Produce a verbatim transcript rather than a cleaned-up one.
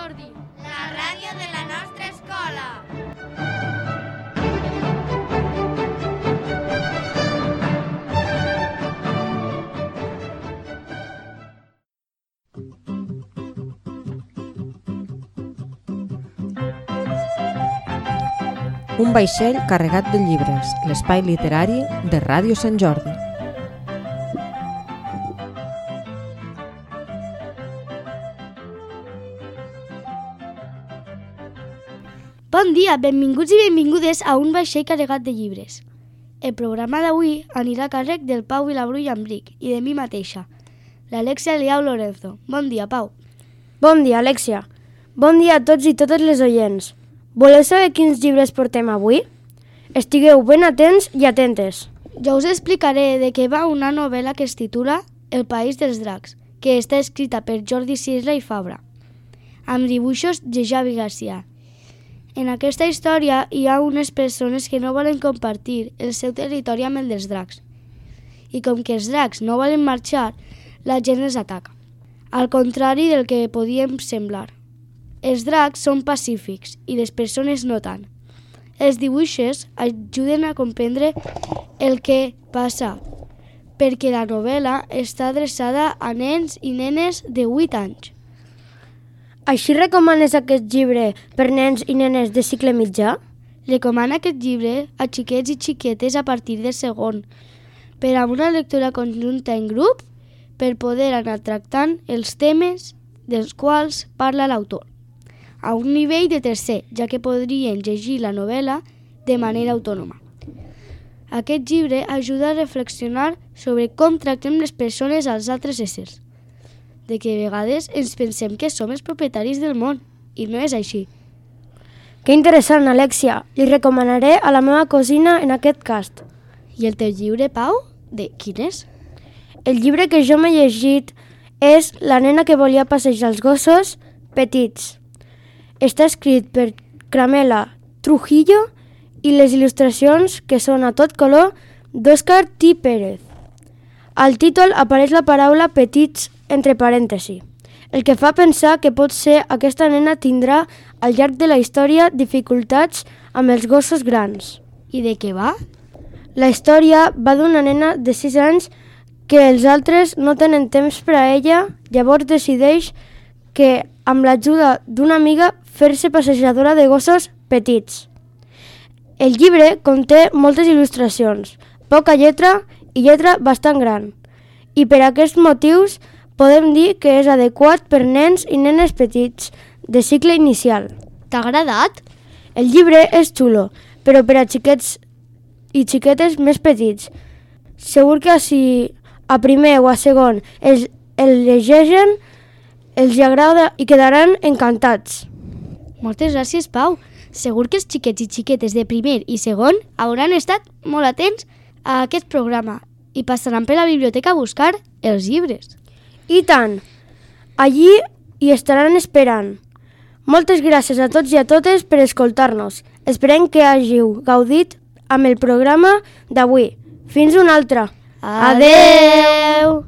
Jordi, la ràdio de la nostra escola. Un vaixell carregat de llibres, l'espai literari de Ràdio Sant Jordi. Bon dia, benvinguts i benvingudes a un vaixell carregat de llibres. El programa d'avui anirà a càrrec del Pau Vilabru i Ambric i de mi mateixa, l'Alexia Liau Lorenzo. Bon dia, Pau. Bon dia, Alexia. Bon dia a tots i totes les oients. Voleu saber quins llibres portem avui? Estigueu ben atents i atentes. Jo us explicaré de què va una novel·la que es titula El país dels dracs, que està escrita per Jordi Sisla i Fabra, amb dibuixos de Javi Garcia. En aquesta història hi ha unes persones que no volen compartir el seu territori amb el dels dracs. I com que els dracs no volen marxar, la gent els ataca. Al contrari del que podíem semblar. Els dracs són pacífics i les persones no tant. Els dibuixos ajuden a comprendre el que passa, perquè la novel·la està adreçada a nens i nenes de vuit anys. Així recomanes aquest llibre per nens i nenes de cicle mitjà? Recomana aquest llibre a xiquets i xiquetes a partir del segon, per a una lectura conjunta en grup, per poder anar tractant els temes dels quals parla l'autor, a un nivell de tercer, ja que podrien llegir la novel·la de manera autònoma. Aquest llibre ajuda a reflexionar sobre com tractem les persones als altres éssers, de que a vegades ens pensem que som els propietaris del món, i no és així. Que interessant, Alexia. Li recomanaré a la meva cosina en aquest cast. I el teu llibre, Pau? De quin és? El llibre que jo m'he llegit és La nena que volia passejar els gossos petits. Està escrit per Cramela Trujillo i les il·lustracions, que són a tot color, d'Òscar T. Pérez. Al títol apareix la paraula petits entre parèntesi, el que fa pensar que potser aquesta nena tindrà al llarg de la història dificultats amb els gossos grans. I de què va? La història va d'una nena de sis anys que els altres no tenen temps per a ella, llavors decideix que, amb l'ajuda d'una amiga, fer-se passejadora de gossos petits. El llibre conté moltes il·lustracions, poca lletra i lletra bastant gran, i per aquests motius podem dir que és adequat per nens i nenes petits de cicle inicial. T'ha agradat? El llibre és xulo, però per a xiquets i xiquetes més petits. Segur que si a primer o a segon els, el llegeixen, els agrada i quedaran encantats. Moltes gràcies, Pau. Segur que els xiquets i xiquetes de primer i segon hauran estat molt atents a aquest programa i passaran per la biblioteca a buscar els llibres. I tant! Allí hi estaran esperant. Moltes gràcies a tots i a totes per escoltar-nos. Esperem que hàgiu gaudit amb el programa d'avui. Fins una altra! Adeu!